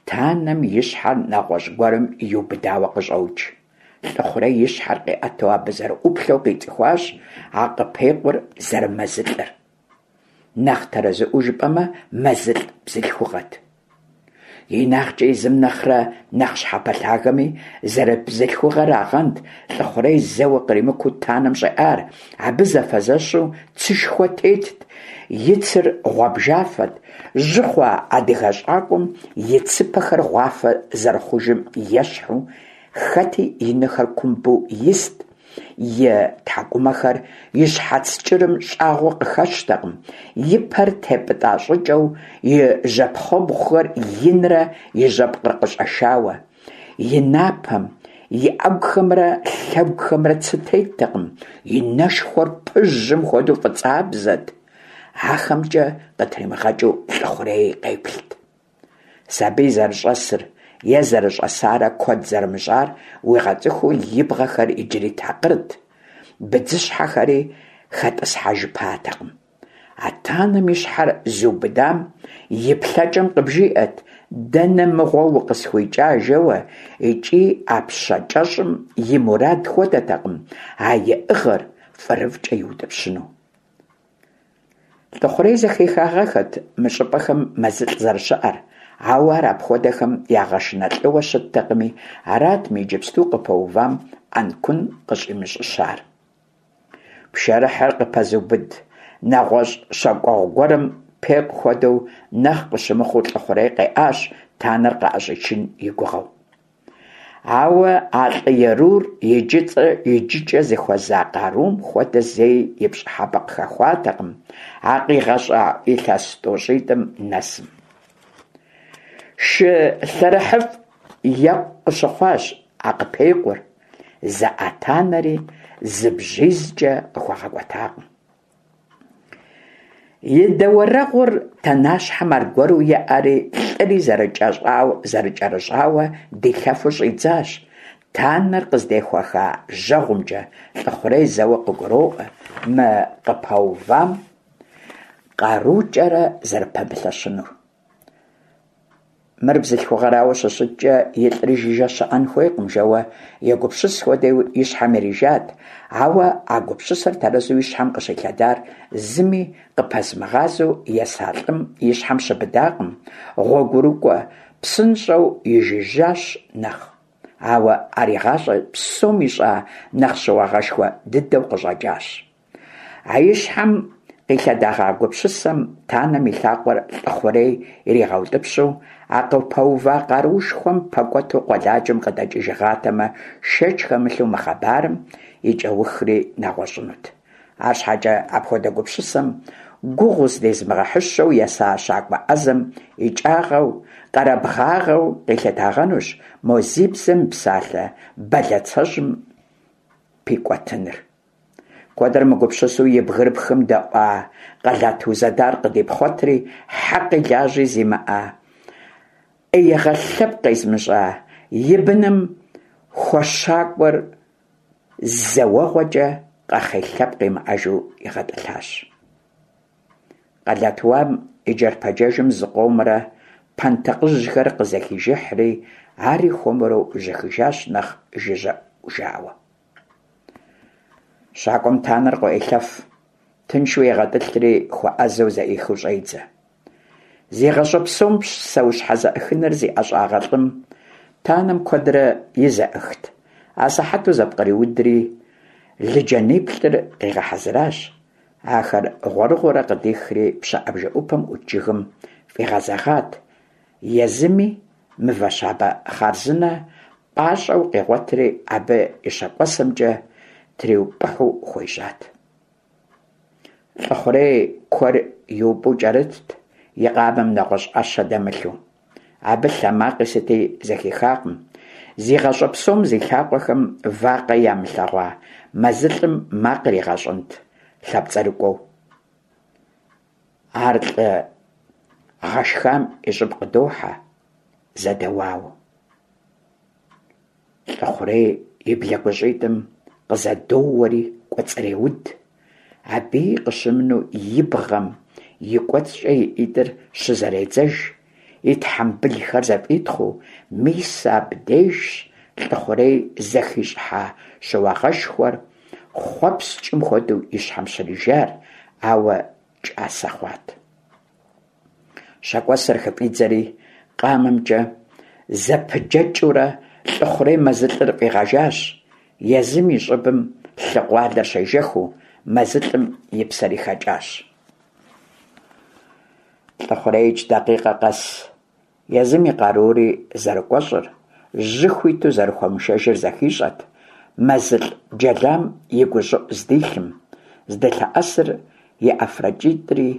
танэм и щхьэр нэгъуэщӏ гуэрым иубыдауэ къыщӏокӏ. Лӏыхъурей и щхьэр къиӏэту абы зэрыӏуплъэу къицӏыхуащ а къыпекъур зэрымэзылӏыр. Нэхъ тэрэзыӏуэу жыпӏэмэ, мэзылӏ бзылъхугъэт. Инагъкӏэ езым нэхърэ нэхъ щхьэпэлъагэми, зэрыбзылъхугъэрагъэнт Лӏыхъурей зэуэ къримыкуу танэм щӏеӏар. Абы зэфэзэщу цышхуэ тетт, и цыр гъуабжафэт, жьы хъуа адыгэ щӏакӏуэм и цыпэхэр гъуафэ зэрыхъужым ещхьу, хэти и нэхэр кумбу ист, и тхьэкӏумэхэр и щхьэц кӏырым щӏагъуэ къыхэщтэкъым, и пэр тепӏытӏа щӏыкӏэу, и жьэпхъуэбгъухэр инрэ и жьэпкъыр къыщӏэшауэ. И напэм, И ӏэгухэмрэ лъэгухэмрэ цы теттэкъым, и нэшхуэр пыжьым хуэдэу фӏыцӏабзэт, ахэмкӏэ къытримыгъэкӏыу Лӏыхъурей къеплът. Сабий зэрыщӏэсыр е зэрыщӏэсарэ куэд зэрымыщӏар уигъэцӏыхуу и бгъэхэр иджыри такъырт, быдзыщхьэхэри хэтӏысхьэжыпатэкъым. А танэм и щхьэр зыубыдам и плъэкӏэм къыбжиӏэт: «Дэнэ мыгъуэ укъысхуикӏа?» жэуэ, икӏи а пщэ кӏэщӏым и мурад хуэдэтэкъым а иӏыгъыр фӏырыфӏкӏэ иутӏыпщыну. Лӏыхъурей зэхихагъэххэт мы щӏыпӏэхэм мэзылӏ зэрыщыӏэр, ауэ ар апхуэдэхэм ягъэшынэ лӏыуэ щыттэкъыми, арат мы иджыпсту къыпэувам ӏэнкун къыщӏимыщӏыщар. Пшэрыхьыр къыпэзыубыд нэгъуэщӏ щакӏуэгъу гуэрым пекъу хуэдэу нэхъ къыщымыхъуу Лӏыхъурей къеӏащ, танэр къыӏэщӏичын и гугъэу. Ауэ а лӏы ерур иджыкӏэ зыхуэза къарум хуэдэ зэи и пщӏыхьэпӏэ къыхэхуатэкъым а къигъэщӏа илъэс тӏощӏитӏым нэсым. Шы лъэрыхьыфӏ екъу къыщыхъуащ а къыпекъур, зэӏа танэри зы бжьизкӏэ къыхуэгъэкӏуэтакъым. И дэуэрэгъур танащхьэм аргуэру еӏэри, лӏыри зэрыкӏэрыщӏауэ дилъэфу щӏидзащ. Танэр къыздехуэха жьэгъумкӏэ Лӏыхъурей зэуэ къыгуроӏуэ мы къыпэувам къарукӏэрэ зэрыпэмылъэщынур. Мыр бзылъхугъэрауэ щыщыткӏэ, илӏри жыжьэ щыӏэн хуейкъым, жэуэ егупсыс хуэдэуи и щхьэм ирижат, ауэ а гупсысэр тэрэзу и щхьэм къыщилъэдар зыми къыпэзымыгъазэу еса лӏым и щхьэм щыбыдакъым, гъуэгурыкӏуэ псынщӏэу ижыжьащ нэхъ. Ауэ ар и гъащӏэ псом ищӏа нэхъ щыуагъэшхуэ дыдэу къыщӏэкӏащ. А и щхьэм къилъэдэгъа гупсысэм танэм и лъакъуэр Лӏыхъурей иригъэутӏыпщу, а къыпэува къаруушхуэм пэкӏуэту къуэладжэм къыдэкӏыжыгъатэмэ, шэч хэмылъу мы хъыбарым и кӏэухри нэгъуэщӏынут. Арщхьэкӏэ апхуэдэ гупсысэм гугъу зыдезымыгъэхьыщэу еса щакӏуэ ӏэзэм икӏагъэу, къэрабгъагъэу къилъытагъэнущ мо зи бзэ мыпсалъэ бэлацэжьым пикӏуэтыныр. Куэдрэ мыгупсысэу и бгырыпхым дэӏуа къэлат узэдар къыдипхъуэтри, хьэкъи лажьи зимыӏэ, ӏеигъэ лъэпкъ къезымыщӏа и быным хуэщакӏуэр зэ уэгъуэкӏэ къэхъей лъэпкъ имыӏэжу игъэтӏылъащ. Къэлат уам и джэрпэджэжым зыкъомрэ пэнтӏыкъыжьхэр къызэхижыхьри, ари хуэмурэ ужьыхыжащ нэхъ жыжьэ ӏужауэ. Щакӏуэм танэр къыӏуелъэф, тыншу егъэтӏылъри, хуэӏэзэу зэӏихыу щӏедзэ. Зи гъащӏэ псом псэущхьэ зэӏыхыныр зи ӏэщӏагъэ лӏым танэм куэдрэ и зэӏыхт. Асыхьэту зэпкъриудри, лыджэниплӏыр къигъэхьэзыращ. Ахэр гъуэрыгъуэурэ къыдихри, пщыӏэ бжэӏупэм ӏут жыгым фӏигъэзэгъат. Езыми мывэ щабэ хъарзынэ пӏащӏэу къигъуэтри, абы и щэкӏуэсэмкӏэ триупӏыхьу хуежьат. Лӏыхъурей куэр иупӏу кӏэрытт, и къамэм нэгъуэщӏ ӏэщэ дэмылъу. Абы лъэ макъи сыти зэхихакъым. Зи гъащӏэ псом зи лъакъуэхэм вакъэ ямылъэгъуа мэзылӏым макъ иригъэщӏынт лъапцӏэрыкӏуэу. Ар лӏы гъэшхам и щӏыб къыдохьэ, зэдэуауэ. Лӏыхъурей и блэгущӏитӏым къызэдоуэри кӏуэцӏреуд. Абыи къыщымынэу и бгъэм и кӏуэцӏкӏэ и ӏитӏыр щызэредзэж, и тхьэмбылхэр зэфӏитхъыу. Мис абдежщ Лӏыхъурей зэхищӏыхьа щыуагъэшхуэр хъуэпскӏым хуэдэу и щхьэм щрижар, ауэ кӏасэ хъуат. Щэкӏуэсэр хыфӏидзэри, къамэмкӏэ зэпыджэкӏыурэ Лӏыхъурей мэзылӏыр фӏигъэжащ. Езым и щӏыбым лъы къуалэр щежэхыу, мэзылӏым и псэри хэкӏащ. Лӏыхъуреикӏ дакъикъэ къэс езым и къарури зэрыкӏуэщӏыр, жьы хуиту зэрыхуэмышэжыр зэхищӏэт. Мэзылӏ джэлам и гущӏыӏу здилъым, здылъэӏэсыр и ӏэфракӏитӏри,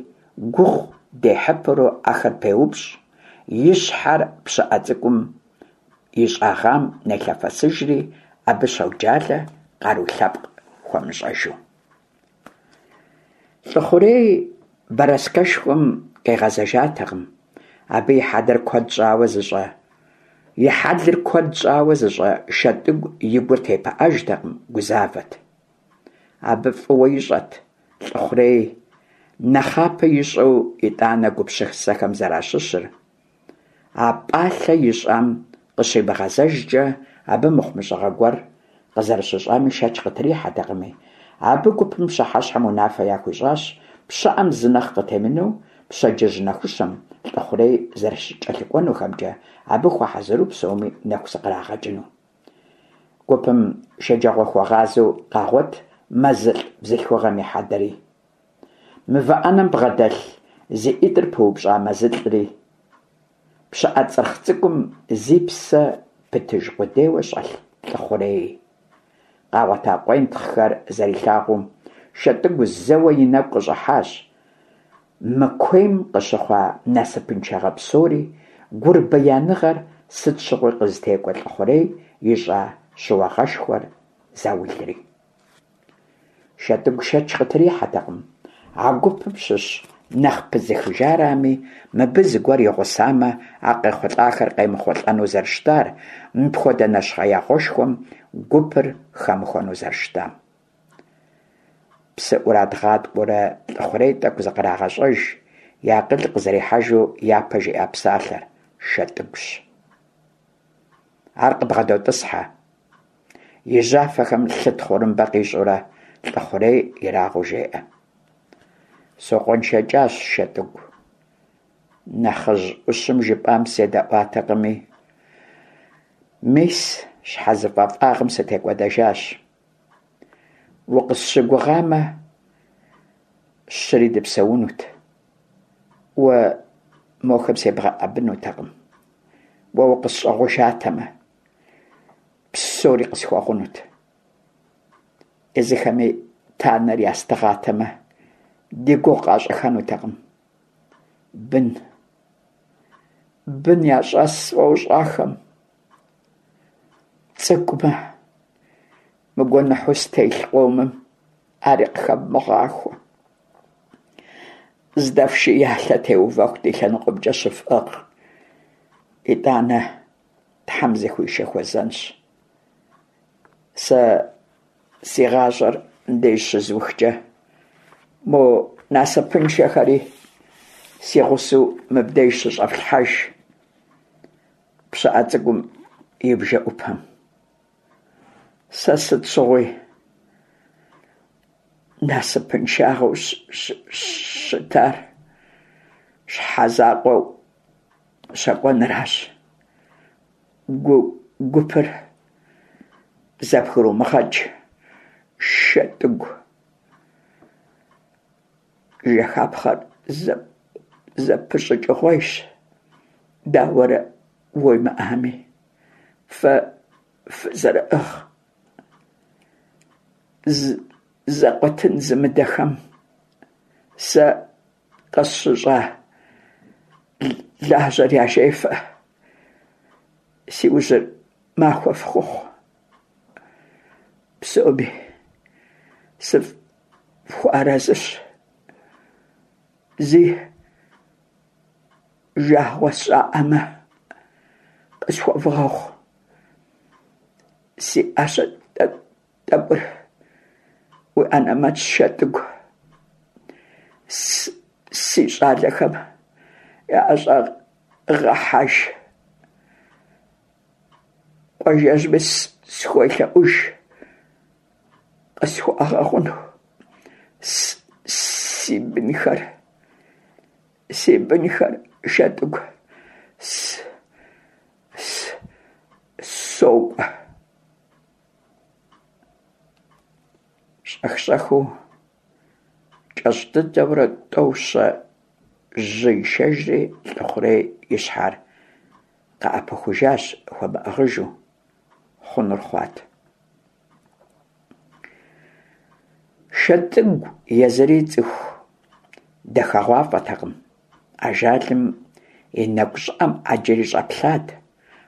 гугъу дехьыпэурэ ахэр пеупщӏ, и щхьэр пщыӏэ цӏыкӏум ищӀэгъам нелъэфэсыжри, абы щоджалэ, къару лъэпкъ хуэмыщӀыжу. Лӏыхъурей бэрэскэшхуэм къигъэзэжатэкъым. Абы и хьэлыр куэд щӀауэ зыщӀэ и хьэлыр куэд щӀауэ зыщӀэ Шэтӏыгу и гур тепыӀэжтэкъым, гузавэт. Абы фӀыуэ ищӀэт Лӏыхъурей нэхъапэ ищӀэу итӀанэ гупсысэхэм зэращыщыр, а пӀалъэ ищӀам къыщимыгъэзэжкӀэ, абы мыхъумыщӀагъэ гуэр къызэрыщыщӀами шэч къытрихьэтэкъыми, абы гупым пщыхьэщхьэм унафэ яхуищӀащ пщыӀэм зы нэхъ къытемынэу пщэдджыжь нэхущым Лӏыхъурей зэрыкӀэлъыкӀуэнухэмкӀэ, абы хуэхьэзыру псоми нэху зыкърагъэкӀыну. Гупым шэджагъуэхуэгъазэу къагъуэт мэзылӀ бзылъхугъэм и хьэдэри, мывэ Ӏэнэм бгъэдэлъ зи ӀитӀыр пыупщӀа мэзылӀри, пщыӀэ цӀырхъ цӀыкӀум зи псэ пытыж къудейуэ щӀэлъ ЛӀыхъуреи. Къагъуэта къуентхъхэр зэрилъагъуу, Шэтӏыгу зэуэ и нэгу къыщӀыхьащ мы куейм къыщыхъуа насыпыншагъэ псори, гурбияныгъэр сыт щыгъуи къызытекӀуэ ЛӀыхъурей ищӀа щыуагъэшхуэ заулри. Шэтӏыгу шэч къытрихьэтэкъым, а гупым щыщ нэхъ пызыхыжарами, мыбы зыгуэр игъусамэ, а къехъулӀахэр къемыхъулӀэну зэрыщытар, мыпхуэдэ нэщхъеягъуэшхуэм гупыр хэмыхуэну зэрыщытам. Псы ӀурадгъаткӀуэурэ ЛӀыхъурей тӀэкӀу зыкърагъэщӀэж, и акъыл къызэрихьэжу япэ жиӀа псалъэр Шэтӏыгущ. Ар къыбгъэдотӀысхьэ, и жьафэхэм лъы тхъурымбэ къищӀурэ, ЛӀыхъурей ерагъыу жеӀэ: СокъуэншэкӀащ, Шэтӏыгу, нэхъыжь Ӏущым жыпӀам седэӀуатэкъыми, мис, щхьэзыфӀэфӀагъым сытекӀуэдэжащ. Укъысщыгугъамэ, щыри дыпсэунут, уэ мохэм себгъэӀэбынутэкъым, уэ укъысщӀыгъужатэмэ, псори къысхуэгъунут. Езыхэми танэр ястыгъатэмэ, ди гугъу къащӀыххэнутэкъым. Бын, бын ящӀэс сфӀощӀ ахэм, цӀыкӀумэ, мы гуэныхьу стелъ къомым ари къыхэвмыгъахуэ. Здэфши, я лъэ теувэху ди лъэныкъуэмкӀэ щыфӀыгъ, итӀанэ Тхьэм зыхуишэ хуэзэнщ. Сэ си гъащӀэр мыбдеж щызухкӀэ, мо насыпыншэхэри си гъусэу мыбдеж щыщӀэфлъхьэж пщыӀэ цӀыкӀум и бжэӀупэм. Сэ сыт щыгъуи насыпыншагъэу щытар щхьэзакъуэу щэкӀуэныращ. Гупыр зэбгрумыгъэкӀ, ШэтӀыгу, жэхапхъэр зэпыщӀыкӀыгъуейщ, дауэрэ уемыӀами, фэ фызэрыӀыгъ, зэкъуэтын зымыдэхэм сэ къысщыщӀа лажьэр яжефӀэ, си ужьыр махуэ фхухъу. Псоми сыфхуэарэзыщ, зи жагъуэ сщӀаӀамэ, къысхуэвгъэгъу. Си Ӏэщэ тӀэкӀур уи анэмэтщ, ШэтӀыгу, си щӀалэхэм яӀэщӀэгъэхьэж, къуажэжьми схуелъэӀуж къысхуагъэгъуну. Си бынхэр, си бынхэр, ШэтӀыгу, сокӀуэ. ЩӀэх-щӀэхыу, кӀэщӀ дыдэурэ тӀэу-щэ жьы ишэжри, ЛӀыхъурей и щхьэр къыӀэпыхужащ хуэмыӀыгъыжу, хъунур хъуат. ШэтӀыгу езыри цӀыху дахэгъуафӀэтэкъым, ажалым и нэгу щӀыӀэм Ӏэджэри щӀэплъат,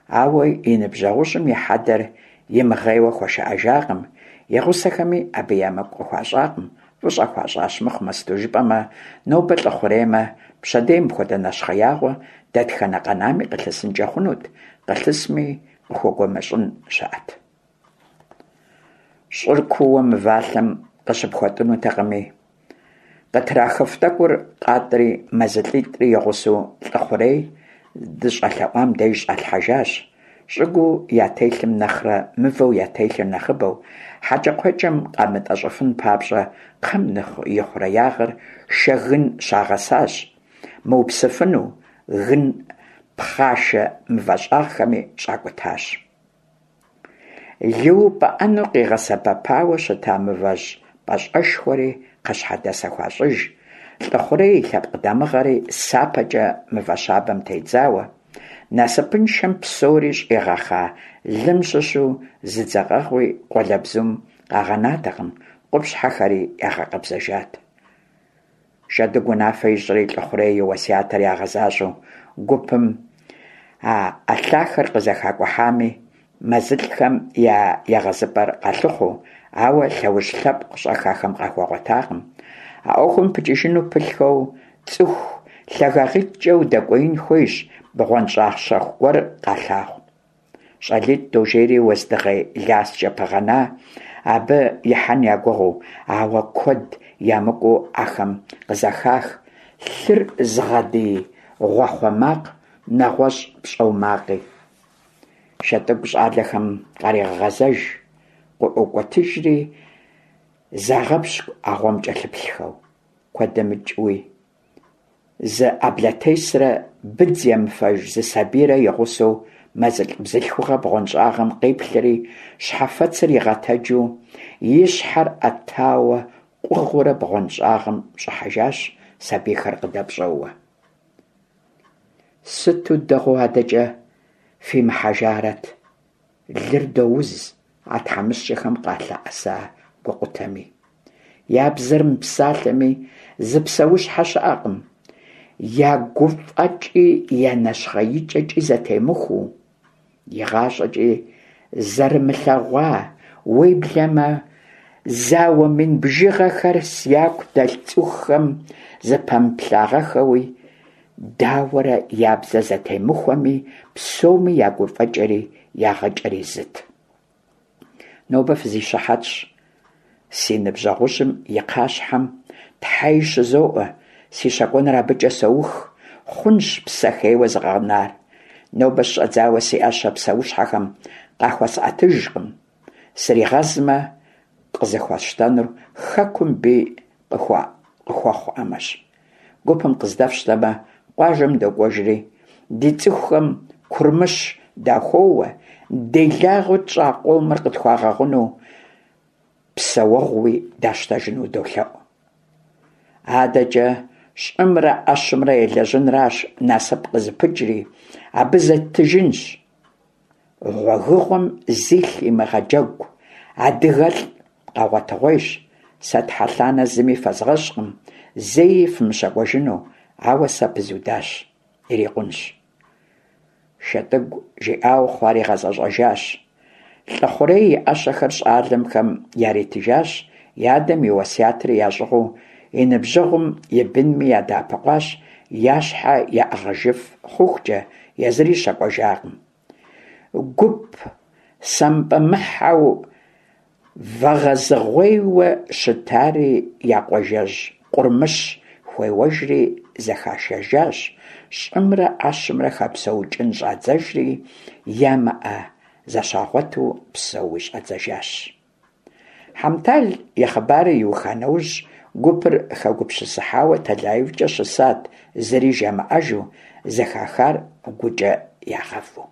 Ауэ и ныбжьэгъужьым и хьэдэр имыгъейуэ хуэшыӀэжакъым, и гъусэхэми абы емыкӀу къыхуащӀакъым, фӀыщӀэ хуащӀащ мыхъумэ, сыту жыпӀэмэ, нобэ ЛӀыхъуреймэ, пщэдей мыпхуэдэ нэщхъеягъуэ дэтхэнэ къэнами къылъысынкӀэ хъунут, къылъысми къыхуэгумэщӀын щыӀэт. ЩӀыр куууэ мывалъэм къыщыпхуэтӀынутэкъыми, къытрахыф тӀэкӀур къатӀри, мэзылӀитӀри и гъусэу ЛӀыхъурей здыщӀэлъэӀуам деж щӀалъхьэжащ, щӀыгуу ятелъым нэхърэ мывэу ятелъыр нэхъыбэу, хьэкӀэкхъуэкӀэм къамытӀэщӀыфын папщӀэ, кхъэм и хъуреягъыр шэгын щагъэсащ, мыупсыфыну, гын пхъашэ мывэ щӀагъхэми щӀакӀутащ. Лы упӀыӀэну къигъэсэбэпауэ щыта мывэжь пӀащӀэшхуэри кхъащхьэдэсэ хуащӀыж, ЛӀыхъурей и лъэпкъ дамыгъэри сапэкӀэ мывэ щабэм тедзауэ. Насыпыншэм псори щӀигъэхъа лым щыщу зы дзэкъэгъуи къуалэбзум къагъэнатэкъым, къупщхьэхэри ягъэкъэбзэжат. ШэтӀыгу унафэ ищӀри, ЛӀыхъурей и уэсятыр ягъэзащӀэу гупым а лъахэр къызэхакӀухьами, мэзылӀхэм я егъэзыпӀэр къалъыхъуэу, ауэ лъэужь лъэпкъ щӀэх ахэм къахуэгъуэтакъым. А Ӏуэхум пыкӀыжыну пылъхэу, цӀыху лъагагъитӀкӀэ удэкӀуеин хуейщ, бгъуэнщӀагъ щэху гуэр къалъагъу. ЩӀалитӀ дожейри уэздыгъей ласкӀэ пыгъэна абы ихьэн я гугъэу, ауэ куэд ямыкӀуу ахэм къызэхах лъыр зыгъэдий гъуахъуэ макъ, нэгъуэщӀ пщӀэу макъи. ШэтӀыгу щӀалэхэм къарегъэгъэзэж, къыӀуокӀуэтыжри загъэпщкӀу а гъуэм кӀэлъыплъхэу. Куэд дэмыкӀыуи зы Ӏэблэтесрэ быдз емыфэж зы сабийрэ и гъусэу мэзылӀ бзылъхугъэ бгъуэнщӀагъым къиплъри, щхьэфэцыр игъэтэджу, и щхьэр Ӏэтауэ къугъыурэ бгъуэнщӀагъым щӀыхьэжащ, сабийхэр къыдэпщӀэууэ. Сыту дэгъуэу адэкӀэ фимыхьэжарэт, лыр доуз а тхьэмыщкӀэхэм къалъэӀэса гукъутэми. Я бзэр мыпсалъэми, зы псэущхьэ щыӀэкъым, я гуфӀэкӀи я нэщхъеикӀэкӀи зэтемыхуэу, игъащӀэкӀи зэрымылъэгъуа, уеблэмэ зауэ мин бжыгъэхэр зяку дэлъ цӀыхухэм зыпэмыплъагъэххэуи, дауэрэ я бзэ зэтемыхуэми, псоми я гуфӀэкӀэри я гъыкӀэри зыт. Нобэ фызищыхьэтщ си ныбжьэгъужьым и кхъащхьэм, тхьэи щызоӀуэ, си щэкӀуэныр абыкӀэ соух, хъунщ псэ хейуэ згъэнар. Нобэ щыщӀэдзауэ си Ӏэщэ псэущхьэхэм къахуэсӀэтыжкъым, сригъэзмэ, къызыхуэсщтэнур хэкум бий къыхуэхъуамэщ. Гупым къыздэфщтэмэ, къуажэм докӀуэжри, ди цӀыхухэм курмыщ дахуоуэ, делагъэу тщӀа къомыр къытхуагъэгъуну, псэуэгъууи дащтэжыну долъэӀу. АдэкӀэ щӀымрэ Ӏэщымрэ елэжьынращ насып къызыпыкӀри, абы зеттыжынщ. Гъуэгыгъуэм зилъ имыгъэджэгу адыгэлӀ къэгъуэтыгъуейщ. Сэ тхьэлъанэ зыми фэзгъэщӀкъым, зэи фымыщэкӀуэжыну, ауэ сэ пызудащ, ирикъунщ. ШэтӀыгу жиӀауэ хъуар игъэзэщӀэжащ. ЛӀыхъурей и Ӏэщэхэр щӀалэхэм яритыжащ, и адэм и уэсятри ящӀыгъуу, и ныбжьэгъум и бынми ядэӀэпыкъуащ, я щхьэ яӀыгъыжыф хъухукӀэ, езыри щэкӀуэжакъым. Гуп сампӀэмыхьэу вэгъэзыгъуейуэ щытари я къуажэжь Къурмыщ хуеуэжри зэхашэжащ, щӀымрэ Ӏэщымрэ хэпсэукӀын щӀадзэжри, ямыӀэ зэщагъуэту псэууи щӀадзэжащ. Хьэмтал и хъыбарыр иуха нэужь, гупыр хэгупсысыхьауэ тэлаифӀкӀэ щысат, зыри жамыӀэжу, зэхахар гукӀэ ягъэву.